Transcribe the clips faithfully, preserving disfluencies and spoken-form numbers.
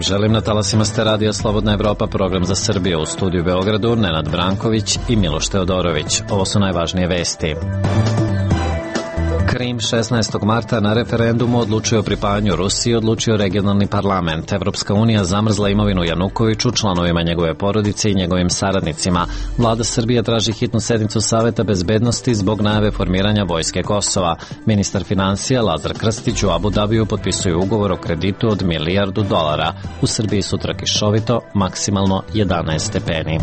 želim na talasima ste radija Slobodna Evropa, program za Srbiju, u studiju Beogradu Nenad Branković i Miloš Teodorović. Ovo su najvažnije vesti. Krim šesnaestog marta na referendumu odlučio o pripajanju Rusiji, odlučio regionalni parlament. Evropska unija zamrzla imovinu Janukoviću, članovima njegove porodice i njegovim saradnicima. Vlada Srbije traži hitnu sednicu Saveta bezbednosti zbog najave formiranja vojske Kosova. Ministar financija Lazar Krstić u Abu Dabiju potpisuje ugovor o kreditu od milijardu dolara. U Srbiji sutra kišovito, maksimalno jedanaest stepeni.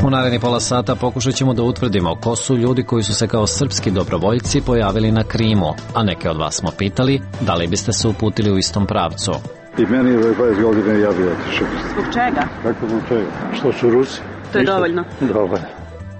U naredni pola sata pokušat ćemo da utvrdimo ko su ljudi koji su se kao srpski dobrovoljci pojavili na Krimu, a neke od vas smo pitali da li biste se uputili u istom pravcu. I meni je dvadeset godina ja bi otišao. Zbog čega? Kako zbog čega? Što su Rusi? To je dovoljno. Dovoljno.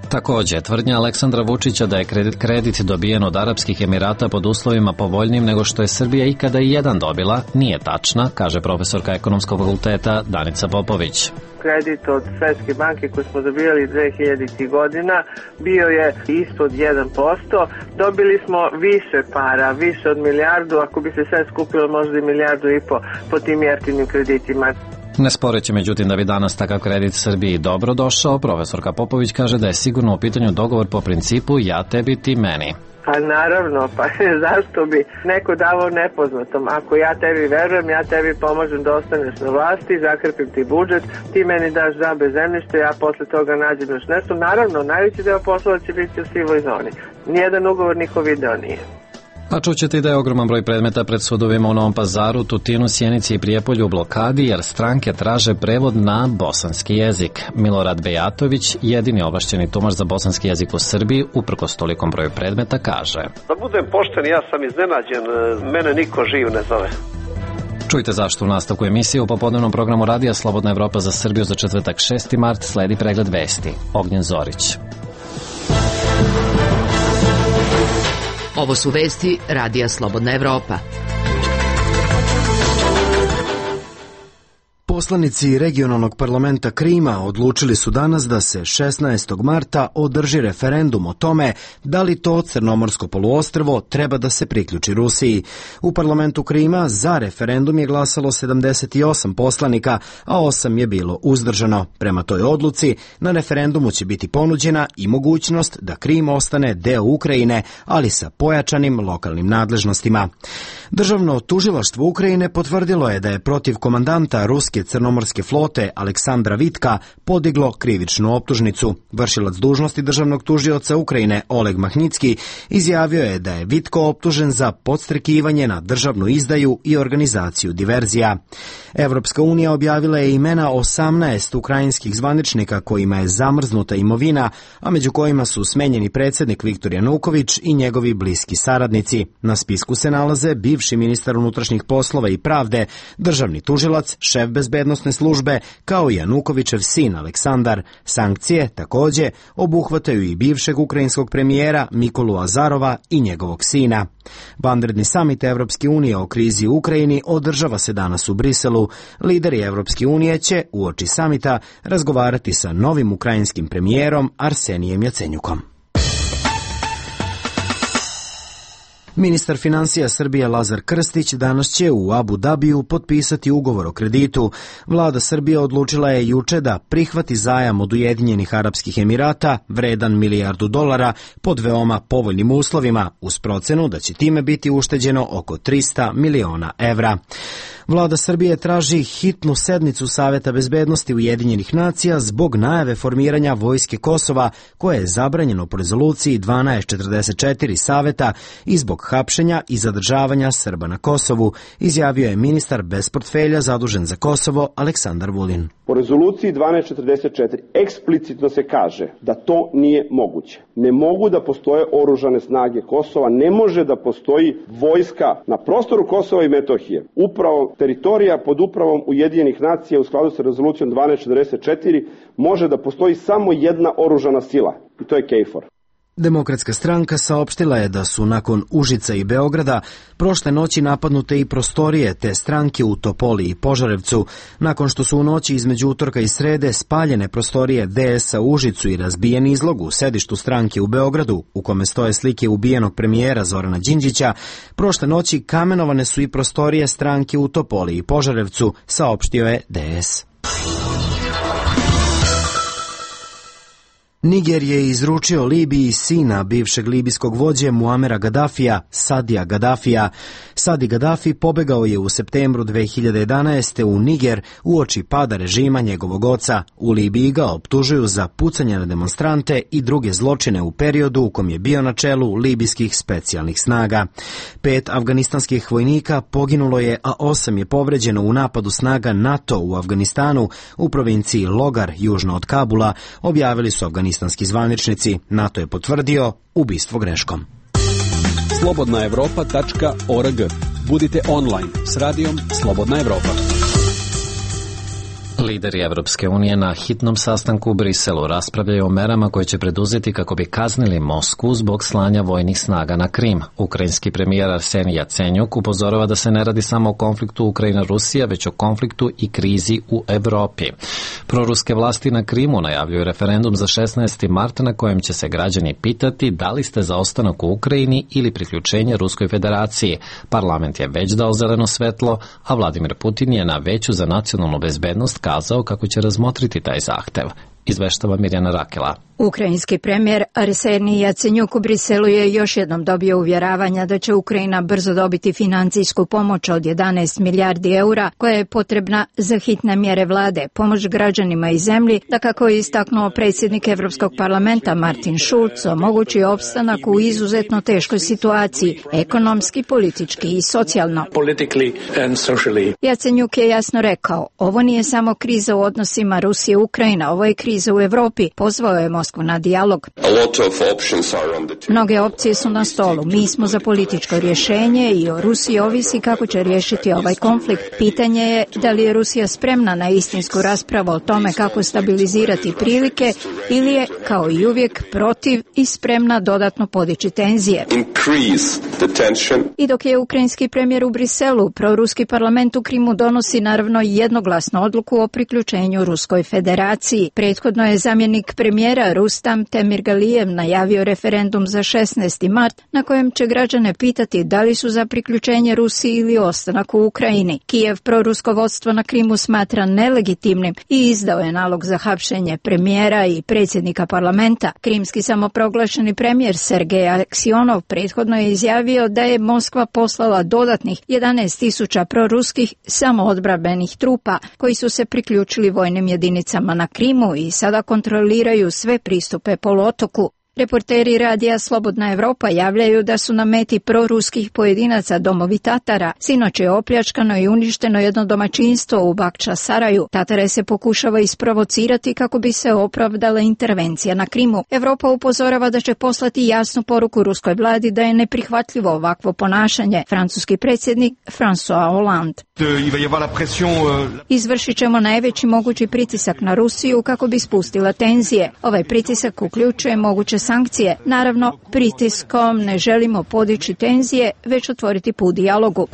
Takođe, tvrdnja Aleksandra Vučića da je kredit, kredit dobijen od Arapskih Emirata pod uslovima povoljnim nego što je Srbija ikada i jedan dobila, nije tačna, kaže profesorka Ekonomskog fakulteta Danica Popović. Kredit od Svetske banke koji smo dobijali dve hiljaditih godina bio je ispod jedan posto. Dobili smo više para, više od milijardu, ako bi se sve skupilo možda i milijardu i po, po tim jeftinim kreditima. Ne sporeći međutim da bi danas takav kredit Srbiji dobro došao, profesorka Popović kaže da je sigurno u pitanju dogovor po principu ja tebi, ti meni. Pa naravno, pa zašto bi neko davao nepoznatom? Ako ja tebi verujem, ja tebi pomožem da ostaneš na vlasti, zakrpim ti budžet, ti meni daš džabe zemljište, ja posle toga nađem još nešto. Naravno, najveći deo poslova će biti u sivoj zoni. Nijedan ugovor niko video nije. A čućete i da je ogroman broj predmeta pred sudovima u Novom Pazaru, Tutinu, Sjenici i Prijepolju u blokadi jer stranke traže prevod na bosanski jezik. Milorad Bejatović, jedini ovlašćeni tumač za bosanski jezik u Srbiji, uprkos tolikom broju predmeta, kaže: Da budem pošten, ja sam iznenađen, mene niko živ ne zove. Čujte zašto u nastavku emisije u popodnevnom programu radija Slobodna Evropa za Srbiju za četvrtak šesti mart sledi pregled vesti. Ognjen Zorić. Ovo su vesti radija Slobodna Evropa. Poslanici regionalnog parlamenta Krima odlučili su danas da se šesnaestog marta održi referendum o tome da li to Crnomorsko poluostrvo treba da se priključi Rusiji. U parlamentu Krima za referendum je glasalo sedamdeset osam poslanika, a osam je bilo uzdržano. Prema toj odluci, na referendumu će biti ponuđena i mogućnost da Krim ostane deo Ukrajine, ali sa pojačanim lokalnim nadležnostima. Državno tužilaštvo Ukrajine potvrdilo je da je protiv komandanta ruske crnomorske flote Aleksandra Vitka podiglo krivičnu optužnicu. Vršilac dužnosti državnog tužioca Ukrajine Oleg Mahnjicki izjavio je da je Vitko optužen za podstrekivanje na državnu izdaju i organizaciju diverzija. Evropska unija objavila je imena osamnaest ukrajinskih zvaničnika kojima je zamrznuta imovina, a među kojima su smenjeni predsjednik Viktor Januković i njegovi bliski saradnici. Na spisku se nalaze bivši ministar unutrašnjih poslova i pravde, državni tužilac, šef bezbednosne službe, kao i Janukovićev sin Aleksandar. Sankcije, takođe, obuhvataju i bivšeg ukrajinskog premijera Mikolu Azarova i njegovog sina. Vanredni samit Evropske unije o krizi u Ukrajini održava se danas u Briselu. Lideri Evropske unije će uoči samita razgovarati sa novim ukrajinskim premijerom Arsenijem Jacenjukom. Ministar financija Srbije Lazar Krstić danas će u Abu Dabiju potpisati ugovor o kreditu. Vlada Srbije odlučila je juče da prihvati zajam od Ujedinjenih Arapskih Emirata vredan milijardu dolara pod veoma povoljnim uslovima, uz procenu da će time biti ušteđeno oko trista miliona evra. Vlada Srbije traži hitnu sednicu Saveta bezbednosti Ujedinjenih nacija zbog najave formiranja vojske Kosova, koje je zabranjeno po rezoluciji dvanaest četrdeset četiri Saveta i zbog hapšenja i zadržavanja Srba na Kosovu, izjavio je ministar bez portfelja zadužen za Kosovo Aleksandar Vulin. Po rezoluciji dvanaest četrdeset četiri eksplicitno se kaže da to nije moguće. Ne mogu da postoje oružane snage Kosova, ne može da postoji vojska na prostoru Kosova i Metohije. Upravo teritorija pod upravom Ujedinjenih nacija u skladu sa rezolucijom dvanaest četrdeset četiri može da postoji samo jedna oružana sila i to je KFOR. Demokratska stranka saopštila je da su nakon Užica i Beograda prošle noći napadnute i prostorije te stranke u Topoli i Požarevcu, nakon što su u noći između utorka i srede spaljene prostorije D S-a u Užicu i razbijen izlog u sedištu stranke u Beogradu, u kome stoje slike ubijenog premijera Zorana Đinđića. Prošle noći kamenovane su i prostorije stranke u Topoli i Požarevcu, saopštio je D S. Niger je izručio Libiji sina bivšeg libijskog vođe Muamera Gadafija, Sadija Gadafija. Sadi Gadafi pobegao je u septembru dve hiljade jedanaeste. u Niger uoči pada režima njegovog oca. U Libiji ga optužuju za pucanje na demonstrante i druge zločine u periodu u kom je bio na čelu libijskih specijalnih snaga. Pet afganistanskih vojnika poginulo je, a osam je povređeno u napadu snaga NATO u Afganistanu u provinciji Logar, južno od Kabula, objavili su afganistanski zvaničnici. NATO je potvrdio ubistvo greškom. slobodna evropa tačka org. Budite online s radijom Slobodna Evropa. Lideri Evropske unije na hitnom sastanku u Briselu raspravljaju o merama koje će preduzeti kako bi kaznili Moskvu zbog slanja vojnih snaga na Krim. Ukrajinski premijer Arsenij Jacenjuk upozorava da se ne radi samo o konfliktu Ukrajina-Rusija, već o konfliktu i krizi u Evropi. Proruske vlasti na Krimu najavljuju referendum za šesnaesti mart na kojem će se građani pitati da li ste za ostanak u Ukrajini ili priključenje Ruskoj federaciji. Parlament je već dao zeleno svetlo, a Vladimir Putin je na Veću za nacionalnu bezbednost kazao kako će razmotriti taj zahtev. Izveštava Mirjana Rakela. Ukrajinski premijer Arsenij Jacenjuk u Briselu je još jednom dobio uvjeravanja da će Ukrajina brzo dobiti financijsku pomoć od jedanaest milijardi eura koja je potrebna za hitne mjere vlade, pomoć građanima i zemlji, da kako je istaknuo predsjednik Evropskog parlamenta Martin Schulz, omogući opstanak u izuzetno teškoj situaciji, ekonomski, politički i socijalno. Jacenjuk je jasno rekao, ovo nije samo kriza u odnosima Rusije-Ukrajina, ovo je kriza u Evropi, pozvao je Moskvu na dijalog. Mnoge opcije su na stolu. Mi smo za političko rješenje i o Rusiji ovisi kako će riješiti ovaj konflikt. Pitanje je da li je Rusija spremna na istinsku raspravu o tome kako stabilizirati prilike ili je, kao i uvijek, protiv i spremna dodatno podići tenzije. I dok je ukrajinski premijer u Briselu, proruski parlament u Krimu donosi naravno jednoglasnu odluku o priključenju Ruskoj federaciji. Prethodno je zamjenik premijera Rustam Temirgalijev najavio referendum za šesnaesti mart na kojem će građane pitati da li su za priključenje Rusiji ili ostanak u Ukrajini. Kijev prorusko vodstvo na Krimu smatra nelegitimnim i izdao je nalog za hapšenje premijera i predsjednika parlamenta. Krimski samoproglašeni premijer Sergej Aksionov prethodno je izjavio da je Moskva poslala dodatnih jedanaest tisuća proruskih samoodbrambenih trupa koji su se priključili vojnim jedinicama na Krimu i sada kontroliraju sve pristupe poluotoku. Reporteri radija Slobodna Evropa javljaju da su na meti proruskih pojedinaca domovi Tatara. Sinoć je opljačkano i uništeno jedno domaćinstvo u Bakča Saraju. Tatare se pokušava isprovocirati kako bi se opravdala intervencija na Krimu. Evropa upozorava da će poslati jasnu poruku ruskoj vladi da je neprihvatljivo ovakvo ponašanje. Francuski predsjednik François Hollande. Izvršit ćemo najveći mogući pritisak na Rusiju kako bi spustila tenzije. Ovaj pritisak uključuje moguće sankcije. Naravno, pritiskom ne želimo podići tenzije, već otvoriti put dijalogu.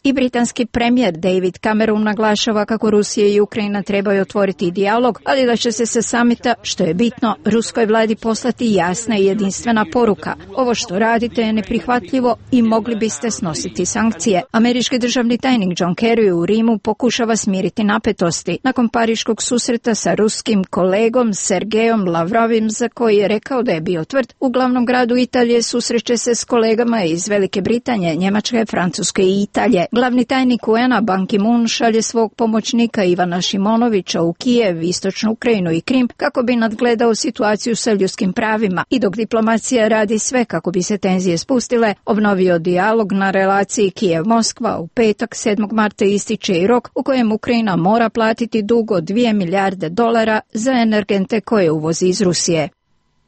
I britanski premijer David Cameron naglašava kako Rusija i Ukrajina trebaju otvoriti dijalog, ali da će se sa samita, što je bitno, ruskoj vladi poslati jasna i jedinstvena poruka. Ovo što radite je neprihvatljivo i mogli biste snositi sankcije. Američki državni tajnik John Kerry u Rimu pokušava smiriti napetosti nakon pariškog susreta sa ruskim kolegom Sergejom Lavrovim, za koji je rekao da je bio tvrd. U glavnom gradu Italije susreće se s kolegama iz Velike Britanije, Njemačke, Francuske i Italije. Glavni tajnik U N A Ban Ki-moon šalje svog pomoćnika Ivana Šimonovića u Kijev, istočnu Ukrajinu i Krim kako bi nadgledao situaciju sa ljudskim pravima. I dok diplomacija radi sve kako bi se tenzije spustile, obnovio dijalog na relaciji Kijev-Moskva. U petak sedmog marta ističe i rok u kojem Ukrajina mora platiti dug od dvije milijarde dolara za energente koje uvozi iz Rusije.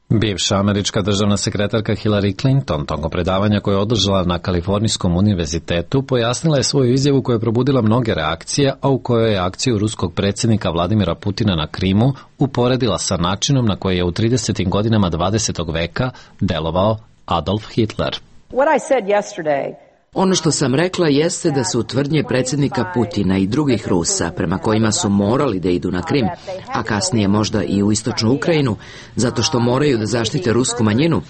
Bivša američka državna sekretarka Hillary Clinton tokom predavanja koje je održala na Kalifornijskom univerzitetu pojasnila je svoju izjavu koja je probudila mnoge reakcije, a u kojoj je akciju ruskog predsjednika Vladimira Putina na Krimu uporedila sa načinom na koji je u tridesetim godinama dvadesetog veka delovao Adolf Hitler. What I said yesterday Ono što sam rekla jeste da su tvrdnje predsjednika Putina i drugih Rusa, prema kojima su morali da idu na Krim, a kasnije možda i u istočnu Ukrajinu, zato što moraju da zaštite rusku manjinu,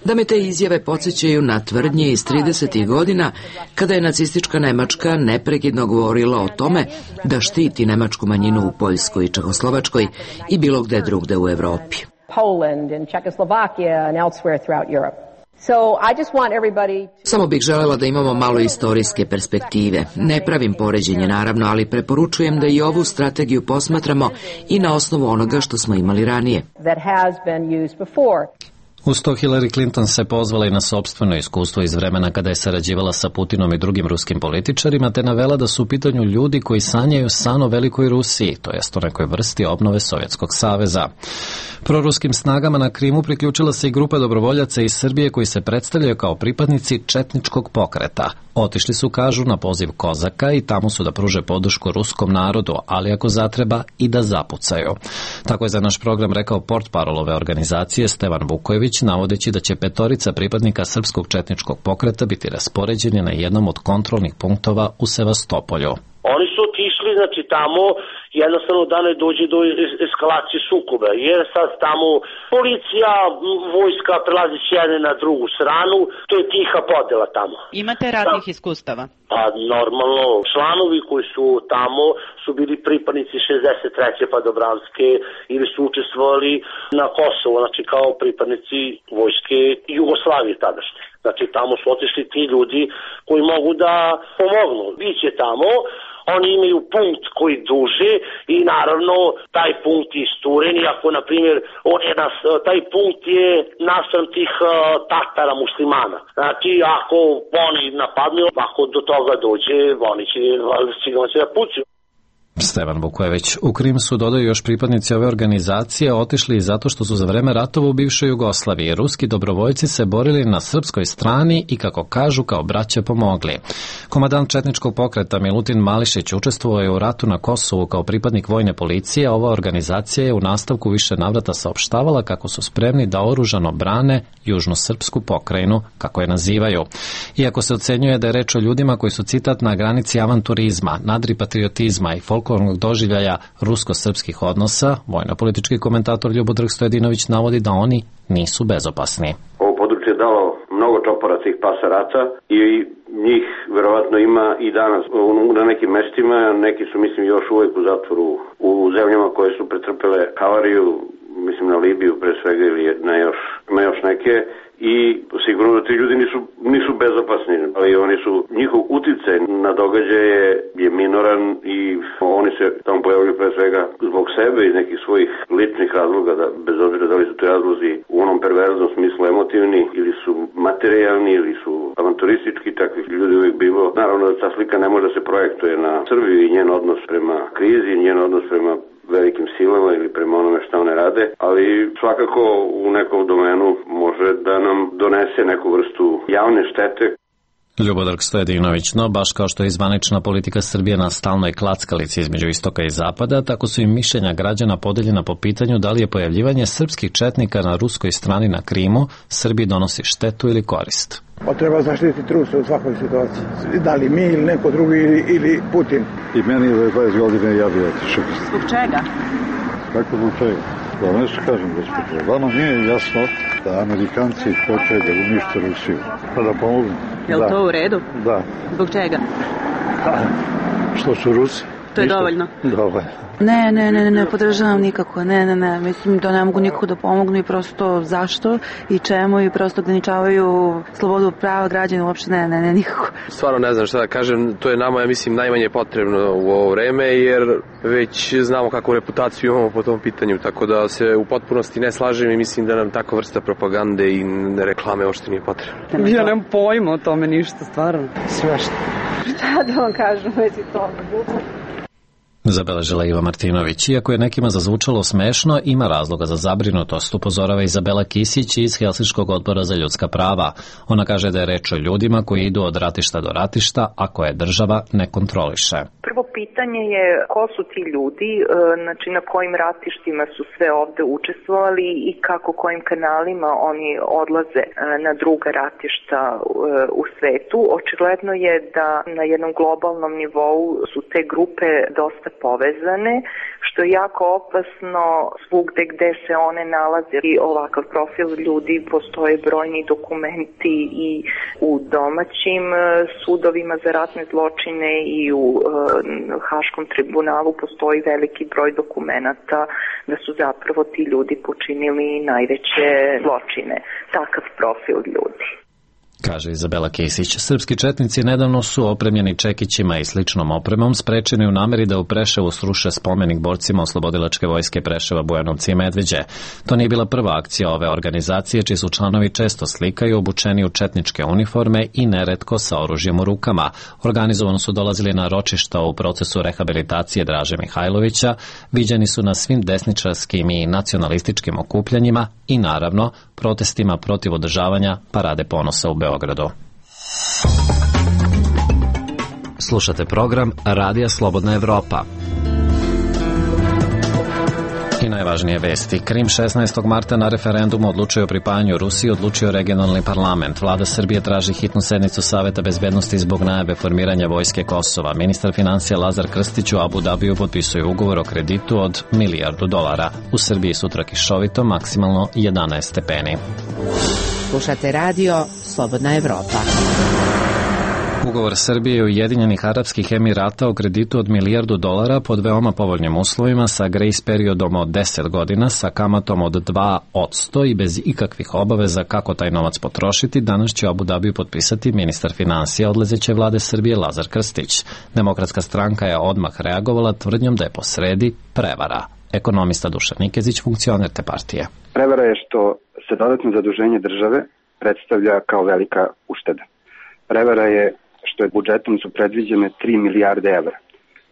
da me te izjave podsjećaju na tvrdnje iz tridesetih godina, kada je nacistička Nemačka neprekidno govorila o tome da štiti nemačku manjinu u Poljskoj i Čehoslovačkoj i bilo gde drugde u Evropi. Poland and Czechoslovakia and elsewhere throughout Europe. So I just want everybody... Samo bih želela da imamo malo istorijske perspektive. Ne pravim poređenje, naravno, ali preporučujem da i ovu strategiju posmatramo i na osnovu onoga što smo imali ranije. That has been used before. Uz to Hillary Clinton se pozvala i na sopstveno iskustvo iz vremena kada je sarađivala sa Putinom i drugim ruskim političarima, te navela da su u pitanju ljudi koji sanjaju san o velikoj Rusiji, to jest o nekoj vrsti obnove Sovjetskog saveza. Proruskim snagama na Krimu priključila se i grupa dobrovoljaca iz Srbije koji se predstavljaju kao pripadnici četničkog pokreta. Otišli su, kažu, na poziv Kozaka i tamo su da pruže podršku ruskom narodu, ali ako zatreba i da zapucaju. Tako je za naš program rekao portparol ove organizacije Stevan Vukojević, navodeći da će petorica pripadnika srpskog četničkog pokreta biti raspoređeni na jednom od kontrolnih punktova u Sevastopolju. Oni su otišli, znači tamo jednostavno da ne dođe do eskalacije sukoba, jer sad tamo policija, vojska prelazi s jedne na drugu stranu, to je tiha podela tamo. Imate ratnih da. iskustava? Pa normalno, članovi koji su tamo su bili pripadnici šezdeset treće padobranske ili su učestvovali na Kosovo, znači kao pripadnici vojske Jugoslavije tadašnje. Znači tamo su otišli ti ljudi koji mogu da pomognu. Biće tamo, oni imaju punkt koji duže i naravno taj punkt je isturen i ako, na primjer, on je nas, taj punkt je naspram tih uh, Tatara muslimana. Znači, ako oni napadnu, ako do toga dođe, oni će, će da pucaju. Stevan Vukojević. U Krim su, dodaju još pripadnici ove organizacije, otišli i zato što su za vreme ratova u bivšoj Jugoslaviji ruski dobrovoljci se borili na srpskoj strani i, kako kažu, kao braća pomogli. Komandant četničkog pokreta Milutin Mališić učestvovao je u ratu na Kosovu kao pripadnik vojne policije, a ova organizacija je u nastavku više navrata saopštavala kako su spremni da oružano brane južnu srpsku pokrajinu, kako je nazivaju. Iako se ocenjuje da je reč o ljudima koji su, citat, na granici avanturizma, nadripatriotizma i folk doživljaja rusko-srpskih odnosa, vojno-politički komentator Ljubodrh Stojadinović navodi da oni nisu bezopasni. Ovo područje je dalo mnogo čopora tih pasa rata i njih verovatno ima i danas na nekim mestima, neki su, mislim, još uvijek u zatvoru u zemljama koje su pretrpele havariju, mislim na Libiju pre svega ili na još, na još neke. I sigurno da ti ljudi nisu, nisu bezopasni, ali oni su, njihov uticaj na događaje je minoran i oni se tamo pojavljaju pre svega zbog sebe iz nekih svojih ličnih razloga, da, bez obzira da li su te razlozi u onom perverznom smislu emotivni ili su materijalni ili su avanturistički, takvih ljudi uvijek bilo. Naravno da ta slika ne može da se projektuje na Srbiju i njen odnos prema krizi, njen odnos prema velikim silama ili prema onome što one rade, ali svakako u nekom domenu može da nam donese neku vrstu javne štete. Ljubodrh Stojadinović, no baš kao što je zvanična politika Srbije na stalnoj klackalici između istoka i zapada, tako su i mišljenja građana podeljena po pitanju da li je pojavljivanje srpskih četnika na ruskoj strani na Krimu Srbiji donosi štetu ili korist. Pa treba zaštititi Rusu u svakoj situaciji. Da li mi ili neko drugi ili, ili Putin. I meni je dvadeset godine ja bi otišao. Zbog čega? Kako zbog čega? Da vam nešto kažem, gospođo. Vama nije jasno da Amerikanci hoće da unište Rusiju. Pa da pomognu. Je li to u redu? Da. Zbog čega? Pa, što su Rusi. To je Ništa. dovoljno? Dovoljno. Ne, ne, ne, ne podržavam nikako, ne, ne, ne, mislim da ne mogu nikako da pomognu i prosto zašto i čemu i prosto ograničavaju slobodu prava građana, uopšte ne, ne, ne, nikako. Stvarno ne znam šta da kažem, to je nama, ja mislim, najmanje potrebno u ovo vreme, jer već znamo kakvu reputaciju imamo po tom pitanju, tako da se u potpunosti ne slažem i mislim da nam takva vrsta propagande i reklame uopšte nije potrebna. Ja nemam pojma o tome ništa, stvarno. Sve što. Šta da vam kažem, već i to. Zabeležila Iva Martinović. Iako je nekima zazvučalo smešno, ima razloga za zabrinutost, upozorava Izabela Kisić iz Helsinškog odbora za ljudska prava. Ona kaže da je reč o ljudima koji idu od ratišta do ratišta, a koje država ne kontroliše. Prvo pitanje je ko su ti ljudi, znači na kojim ratištima su sve ovde učestvovali i kako kojim kanalima oni odlaze na druga ratišta u svetu. Očigledno je da na jednom globalnom nivou su te grupe dosta povezane, što je jako opasno svugde gde se one nalaze i ovakav profil ljudi. Postoje brojni dokumenti i u domaćim sudovima za ratne zločine i u Haškom tribunalu postoji veliki broj dokumenata da su zapravo ti ljudi počinili najveće zločine. Takav profil ljudi. Kaže Izabela Kisić. Srpski četnici nedavno su opremljeni čekićima i sličnom opremom sprečeni u nameri da u Preševu sruše spomenik borcima oslobodilačke vojske Preševa, Bujanovci i Medveđe. To nije bila prva akcija ove organizacije, čiji su članovi često slikaju obučeni u četničke uniforme i neretko sa oružjem u rukama. Organizovano su dolazili na ročišta u procesu rehabilitacije Draže Mihajlovića, viđeni su na svim desničarskim i nacionalističkim okupljanjima i naravno protestima protiv održavanja Parade ponosa u Beogradu. Slušate program Radija Slobodna Evropa. I najvažnije vesti. Krim šesnaestog marta na referendumu odlučio o pripajanju Rusiji, odlučio regionalni parlament. Vlada Srbije traži hitnu sednicu Saveta bezbednosti zbog najave formiranja vojske Kosova. Ministar financija Lazar Krstić u Abu Dabiju potpisuje ugovor o kreditu od milijardu dolara. U Srbiji sutra kišovito, maksimalno jedanaest stepeni. Slušate radio Slobodna Evropa. Ugovor Srbije i Ujedinjenih Arapskih Emirata o kreditu od milijardu dolara pod veoma povoljnim uslovima sa grace periodom od deset godina, sa kamatom od dva posto i bez ikakvih obaveza kako taj novac potrošiti, danas će u Abu Dabiju potpisati ministar financija odlazeće vlade Srbije Lazar Krstić. Demokratska stranka je odmah reagovala tvrdnjom da je posredi prevara. Ekonomista Dušan Nikezić, funkcioner te partije. Prevara je što se dodatno zaduženje države predstavlja kao velika ušteda. Prevara je što je budžetom su predviđene tri milijarde evra,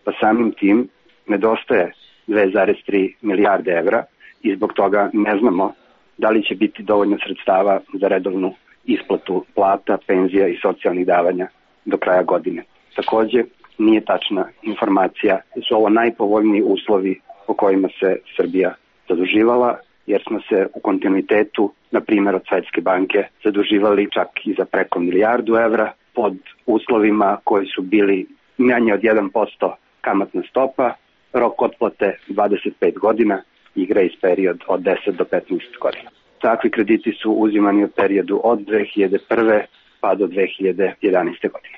pa samim tim nedostaje dve zarez tri milijarde evra i zbog toga ne znamo da li će biti dovoljno sredstava za redovnu isplatu plata, penzija i socijalnih davanja do kraja godine. Takođe, nije tačna informacija da su ovo najpovoljniji uslovi po kojima se Srbija zaduživala, jer smo se u kontinuitetu, na primjer od Svetske banke, zaduživali čak i za preko milijardu evra pod uslovima koji su bili manje od jedan posto kamatna stopa, rok otplate dvadeset pet godina i grace period od deset do petnaest godina. Takvi krediti su uzimani u periodu od dve hiljade prve pa do dve hiljade jedanaeste godine.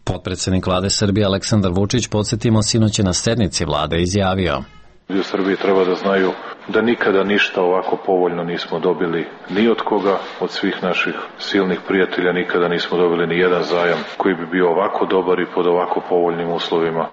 Potpredsednik vlade Srbije Aleksandar Vučić, podsjetimo, sinoć je na sednici vlade izjavio: U Srbiji treba da znaju da nikada ništa ovako povoljno nismo dobili ni od koga, od svih naših silnih prijatelja nikada nismo dobili ni jedan zajam koji bi bio ovako dobar i pod ovako povoljnim uslovima.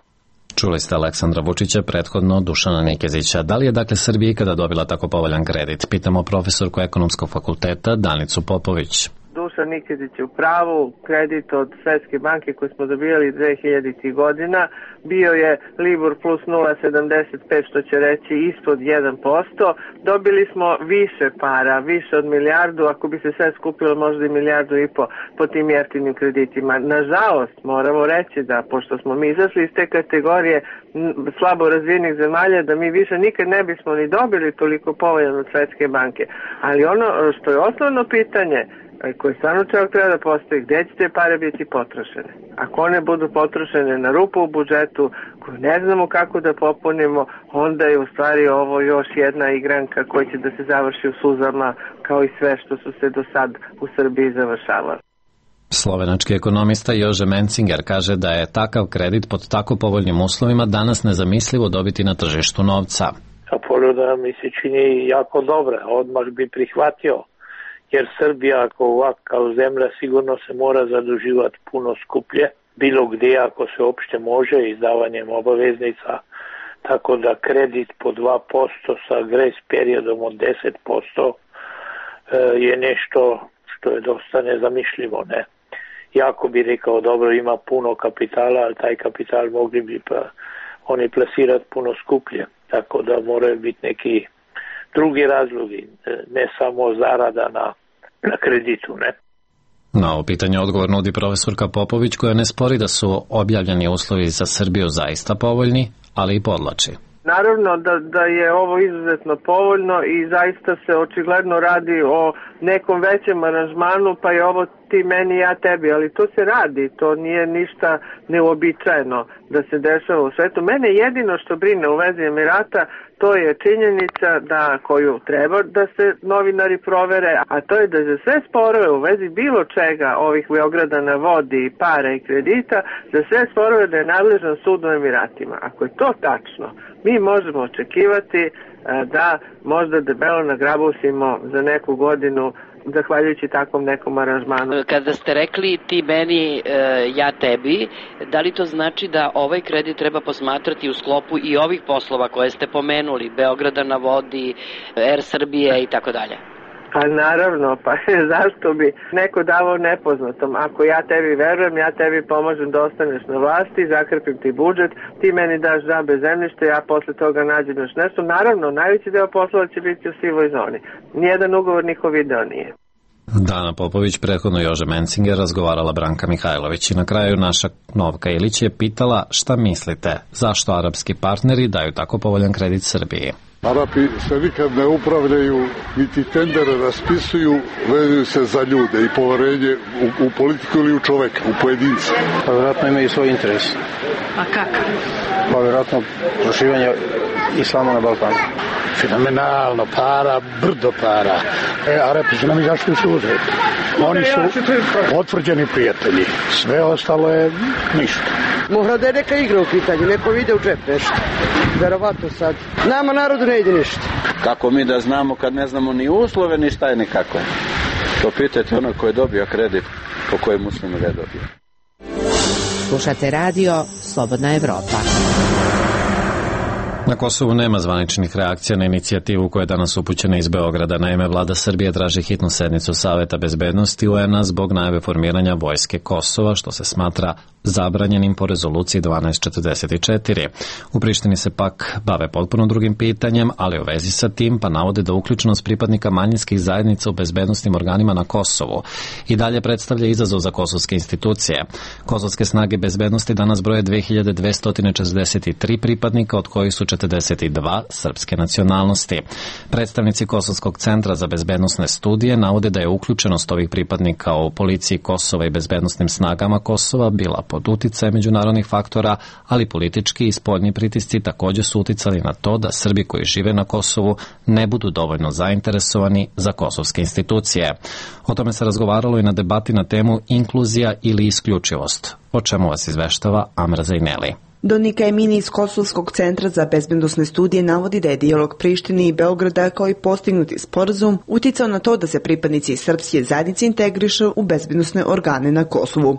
Čuli ste Aleksandra Vučića, prethodno Dušana Nikezića. Da li je dakle Srbija ikada dobila tako povoljan kredit? Pitamo profesorku Ekonomskog fakulteta Danicu Popović. Dušan Nikezić je u pravu. Kredit od Svetske banke koji smo dobijali dve hiljaditih godina bio je Libor plus nula zarez sedamdeset pet, što će reći ispod jedan posto. Dobili smo više para, više od milijardu, ako bi se sve skupilo možda i milijardu i po po tim jeftinim kreditima. Nažalost, moramo reći da, pošto smo mi izašli iz te kategorije slabo razvijenih zemalja, da mi više nikad ne bismo ni dobili toliko povoljan od Svetske banke. Ali ono što je osnovno pitanje koje stvarno čovjek treba da postoji, gde će te pare biti potrošene? Ako one budu potrošene na rupu u budžetu, koju ne znamo kako da popunimo, onda je u stvari ovo još jedna igranka koja će da se završi u suzama, kao i sve što su se do sad u Srbiji završavali. Slovenački ekonomista Jože Mencinger kaže da je takav kredit pod tako povoljnim uslovima danas nezamislivo dobiti na tržištu novca. A ponuda mi se čini jako dobra, odmah bi prihvatio. Jer Srbija ako ovakav zemlja sigurno se mora zaduživati puno skuplje, bilo gdje ako se uopšte može izdavanjem obaveznica, tako da kredit po dva posto sa grace periodom od deset posto je nešto što je dosta nezamišljivo, ne? Jako bi rekao, dobro, ima puno kapitala, ali taj kapital mogli bi pa oni plasirati puno skuplje. Tako da moraju biti neki drugi razlogi, ne samo zarada na, na kreditu, ne? Na ovo pitanje odgovor nudi profesorka Popović, koja ne spori da su objavljeni uslovi za Srbiju zaista povoljni, ali i podlači. Naravno da, da je ovo izuzetno povoljno i zaista se očigledno radi o nekom većem aranžmanu, pa je ovo ti meni, ja tebi, ali to se radi, to nije ništa neuobičajeno da se dešava u svetu. Mene jedino što brine u vezi Emirata, to je činjenica da koju treba da se novinari provere, a to je da za sve sporove u vezi bilo čega ovih Beograda na vodi, para i kredita, za sve sporove da je nadležan sud u Emiratima. Ako je to tačno, mi možemo očekivati da možda debelo nagrabusimo za neku godinu zahvaljujući takvom nekom aranžmanu. Kada ste rekli ti meni, ja tebi, da li to znači da ovaj kredit treba posmatrati u sklopu i ovih poslova koje ste pomenuli, Beograda na vodi, Er Srbije i tako dalje? Pa naravno, pa zašto bi neko davao nepoznatom? Ako ja tebi verujem, ja tebi pomažem da ostaneš na vlasti, zakrpim ti budžet, ti meni daš džabe zemljište, ja posle toga nađem još nešto. Naravno, najveći deo poslova će biti u sivoj zoni. Nijedan ugovor niko video nije. Dana Popović, prethodno Jože Mencinger, razgovarala Branka Mihajlović i na kraju naša Novka Ilić je pitala šta mislite, zašto arapski partneri daju tako povoljan kredit Srbiji. Arapi se nikad ne upravljaju, niti tendere raspisuju, vezuju se za ljude i poverenje u, u politiku ili u čoveka, u pojedinca. Pa vjerojatno imaju svoj interes. A kako? Pa vjerojatno proširivanje islama na Balkanu. Fenomenalno, para, brdo para. E, Arapi su nam izašli u susret. Oni su potvrđeni prijatelji. Sve ostalo je ništa. Mora da je neka igra u pitanju, neko vide u džep nešto. Verovatno sad. Nama narodu ne ide ništa. Kako mi da znamo kad ne znamo ni uslove, ni šta je nikako. To pitajte ono ko je dobio kredit, po kojem muslimu ga je dobio. Slušate radio Slobodna Evropa. Na Kosovu nema zvaničnih reakcija na inicijativu koja je danas upućena iz Beograda. Naime, vlada Srbije traži hitnu sednicu Saveta bezbednosti U N-a zbog najave formiranja vojske Kosova, što se smatra zabranjenim po rezoluciji dvanaest četrdeset četiri. U Prištini se pak bave potpuno drugim pitanjem, ali u vezi sa tim pa navode da uključenost pripadnika manjinskih zajednica u bezbednosnim organima na Kosovu i dalje predstavlja izazov za kosovske institucije. Kosovske snage bezbednosti danas broje dve hiljade dvesta četrdeset tri pripadnika, od kojih su četrdeset dva srpske nacionalnosti. Predstavnici Kosovskog centra za bezbednosne studije navode da je uključenost ovih pripadnika u policiji Kosova i bezbednosnim snagama Kosova bila pod uticajem međunarodnih faktora, ali politički i spoljni pritisci također su uticali na to da Srbi koji žive na Kosovu ne budu dovoljno zainteresovani za kosovske institucije. O tome se razgovaralo i na debati na temu inkluzija ili isključivost, o čemu vas izveštava Amra Zajneli. Donika Emini iz Kosovskog centra za bezbednosne studije navodi da je dijalog Prištine i Beograda kao i postignuti sporazum uticao na to da se pripadnici srpske zajednice integrišu u bezbednosne organe na Kosovu.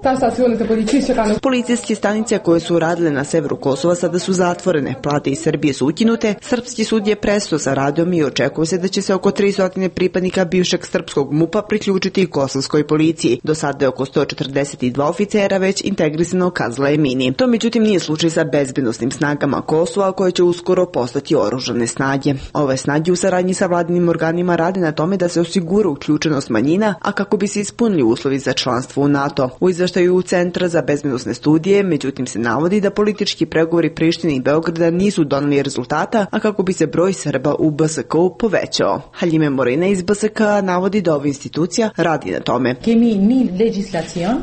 Policijske stanice koje su radile na severu Kosova sada su zatvorene, plate iz Srbije su ukinute, srpski sud je prestao sa radom i očekuje se da će se oko tristo pripadnika bivšeg srpskog MUP-a priključiti i kosovskoj policiji. Do sada je oko sto četrdeset dva oficera već integrisano, kazala Emini. To međutim nije slučaj sa bezbednosnim snagama Kosova, koje će uskoro postati oružane snage. Ove snage u saradnji sa vladinim organima rade na tome da se osigura uključenost manjina, a kako bi se ispunili uslovi za članstvo u NATO. U izveštaju Centra za bezbednosne studije, međutim se navodi da politički pregovori Prištine i Beograda nisu doneli rezultata, a kako bi se broj Srba u B S K-u povećao. Haljime Morina iz B S K navodi da ova institucija radi na tome.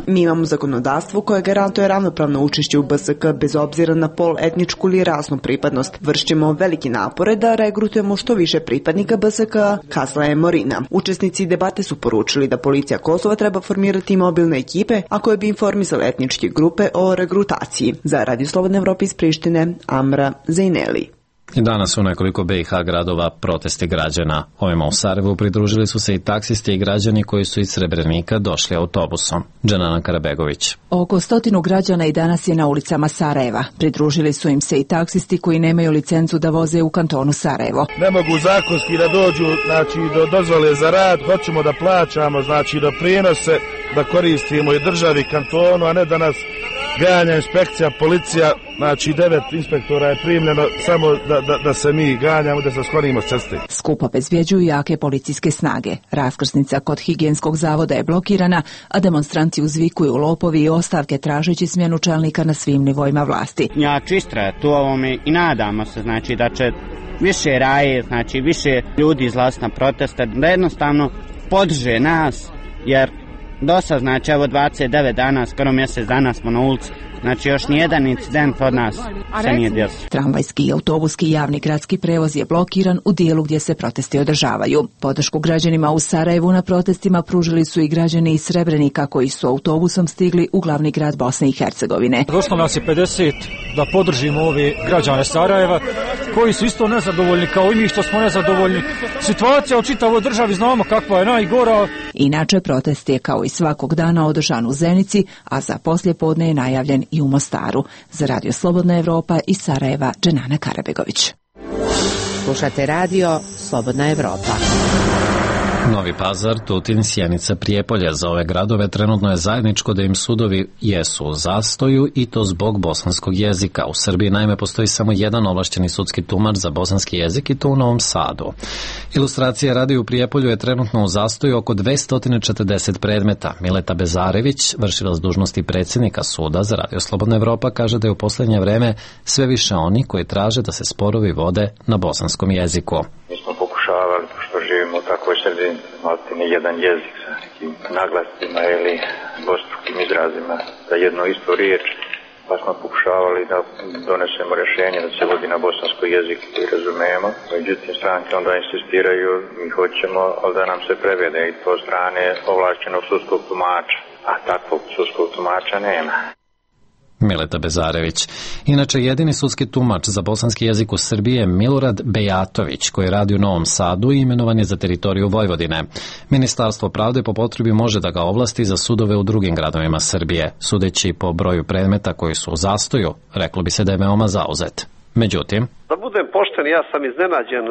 Mi imamo zakonodavstvo koje garantuje ravnopravno učešće u B S K bez obzira na pol, etničku ili rasnu pripadnost. Vršćemo velike napore da regrutujemo što više pripadnika B S K, kazala je Morina. Učesnici debate su poručili da policija Kosova treba formirati mobilne ekipe, a koje bi informisale etničke grupe o regrutaciji. Za Radio Slobodna Evropa iz Prištine, Amra Zajneli. I danas u nekoliko B i H gradova protesti građana. Ovima u Sarajevu pridružili su se i taksisti i građani koji su iz Srebrenika došli autobusom. Dženana Karabegović. Oko stotinu građana i danas je na ulicama Sarajeva. Pridružili su im se i taksisti koji nemaju licencu da voze u kantonu Sarajevo. Ne mogu zakonski da dođu, znači do dozvole za rad, hoćemo da plaćamo, znači da prinose, da koristimo i državi kantonu, a ne da nas ganja, inspekcija, policija, znači devet inspektora je primljeno samo da, da, da se mi ganjamo, da se sklonimo s ceste. Skup obezbjeđuju jake policijske snage. Raskrsnica kod higijenskog zavoda je blokirana, a demonstranti uzvikuju lopovi i ostavke tražeći smjenu čelnika na svim nivoima vlasti. Ja ću istrajati u ovome i nadamo se znači da će više raje, znači više ljudi izlaziti na proteste, da jednostavno podrže nas, jer do sad, znači evo dvadeset devet dana, skoro mjesec dana smo na ulici, znači još nijedan incident od nas se nije desio. Tramvajski i autobuski javni gradski prevoz je blokiran u dijelu gdje se protesti održavaju. Podršku građanima u Sarajevu na protestima pružili su i građani iz Srebrenika koji su autobusom stigli u glavni grad Bosne i Hercegovine. Došlo nas je pedeset da podržimo ove građane Sarajeva koji su isto nezadovoljni kao i mi što smo nezadovoljni. Situacija u čitavoj državi znamo kakva je najgora. Inače, protest je kao i svakog dana održan u Zenici, a za poslijepodne je najavljen i u Mostaru. Za Radio Slobodna Evropa iz Sarajeva, Dženana Karabegović. Slušate radio Slobodna Evropa. Novi Pazar, Tutin, Sjenica, Prijepolje. Za ove gradove trenutno je zajedničko da im sudovi jesu u zastoju i to zbog bosanskog jezika. U Srbiji naime postoji samo jedan ovlašćeni sudski tumač za bosanski jezik i to u Novom Sadu. Ilustracija radi u Prijepolju je trenutno u zastoju oko dvesta četrdeset predmeta. Mileta Bezarević, vršilac dužnosti predsjednika suda za Radio Slobodna Evropa, kaže da je u posljednje vreme sve više oni koji traže da se sporovi vode na bosanskom jeziku. Mi smo pokušavali, pošto živimo u takvoj sredini, imati ni jedan jezik sa nekim naglascima ili dvostrukim izrazima za jednu istu riječ, pa smo pokušavali da donesemo rješenje da se vodi na bosanskoj jeziku koji razumijemo. Međutim, stranke onda insistiraju, mi hoćemo, ali da nam se prevede i to strane ovlašćenog sudskog tumača, a takvog sudskog tumača nema. Mileta Bezarević. Inače, jedini sudski tumač za bosanski jezik u Srbiji je Milorad Bejatović, koji radi u Novom Sadu i imenovan je za teritoriju Vojvodine. Ministarstvo pravde po potrebi može da ga ovlasti za sudove u drugim gradovima Srbije. Sudeći po broju predmeta koji su u zastoju, reklo bi se da je veoma zauzet. Međutim, da budem pošten, ja sam iznenađen,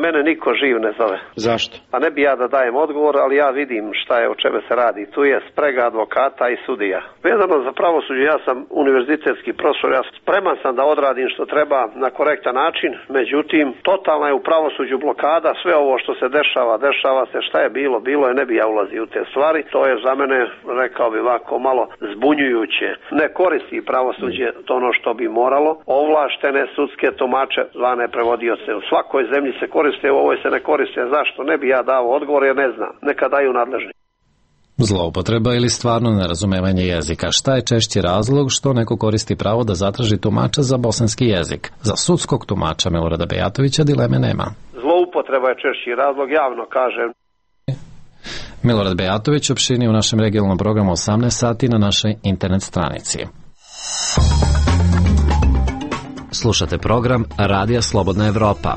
mene niko živ ne zove. Zašto? Pa ne bi ja da dajem odgovor, ali ja vidim šta je, o čeme se radi. Tu je sprega advokata i sudija. Vezano za pravosuđe, ja sam univerzitetski profesor, ja spreman sam da odradim što treba na korektan način, međutim, totalna je u pravosuđu blokada, sve ovo što se dešava, dešava se, šta je bilo, bilo je, ne bi ja ulazio u te stvari. To je za mene, rekao bi ovako, malo zbunjujuće. Ne koristi pravosuđe to ono što bi moralo. Ovlaštene sudske tumače zvane prevodioce. U svakoj zemlji se koriste, u ovoj se ne koriste. Zašto? Ne bi ja dao odgovor jer ne znam. Neka daju nadležni. Zloupotreba ili stvarno nerazumevanje jezika. Šta je češći razlog što neko koristi pravo da zatraži tumača za bosanski jezik? Za sudskog tumača Milorada Bejatovića dileme nema. Zloupotreba je češći razlog, javno kažem. Milorad Bejatović opširni u našem regionalnom programu osamnaest sati na našoj internet stranici. Slušate program Radija Slobodna Evropa.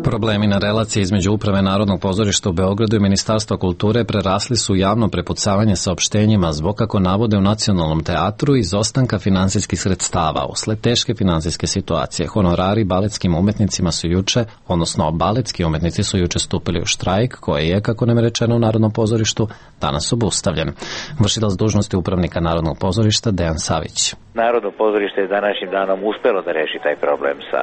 Problemi na relaciji između Uprave Narodnog pozorišta u Beogradu i Ministarstva kulture prerasli su javno prepucavanje saopštenjima zbog, kako navode, u Nacionalnom teatru izostanka finansijskih sredstava. Usled teške finansijske situacije, honorari baletskim umetnicima su juče, odnosno baletski umetnici su juče stupili u štrajk, koji je, kako nam je rečeno u Narodnom pozorištu, danas obustavljen. Vršilac dužnosti upravnika Narodnog pozorišta Dejan Savić. Narodno pozorište je današnjim danom uspelo da reši taj problem sa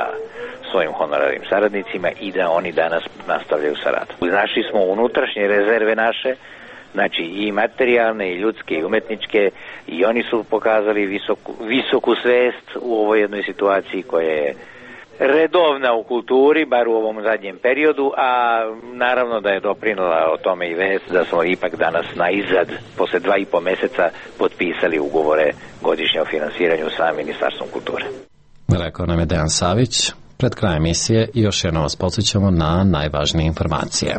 svojim honorarnim saradnicima i da oni danas nastavljaju sa radom. Našli smo unutrašnje rezerve naše, znači i materijalne, i ljudske, i umetničke, i oni su pokazali visoku, visoku svest u ovoj jednoj situaciji koja je redovna u kulturi, bar u ovom zadnjem periodu, a naravno da je doprinela o tome i vest da smo ipak danas na izad, posle dva i po meseca, potpisali ugovore godišnje o finansiranju sa Ministarstvom kulture. Rekao nam je Dejan Savić. Pred krajem emisije još jednom vas podsjećamo na najvažnije informacije.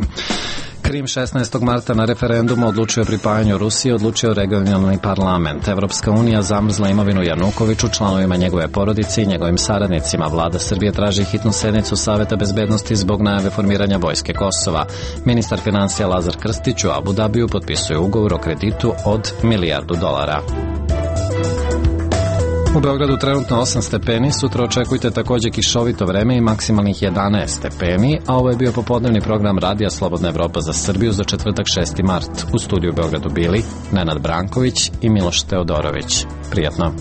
Krim šesnaestog marta na referendumu odlučio o pripajanju Rusiji, odlučio regionalni parlament. Evropska unija zamrzla imovinu Janukoviću, članovima njegove porodice i njegovim saradnicima. Vlada Srbije traži hitnu sednicu Saveta bezbednosti zbog najave formiranja vojske Kosova. Ministar financija Lazar Krstić u Abu Dabiju potpisuje ugovor o kreditu od milijardu dolara. U Beogradu trenutno osam stepeni, sutra očekujte takođe kišovito vreme i maksimalnih jedanaest stepeni, a ovo je bio popodnevni program Radija Slobodna Evropa za Srbiju za četvrtak šesti mart. U studiju u Beogradu bili Nenad Branković i Miloš Teodorović. Prijatno.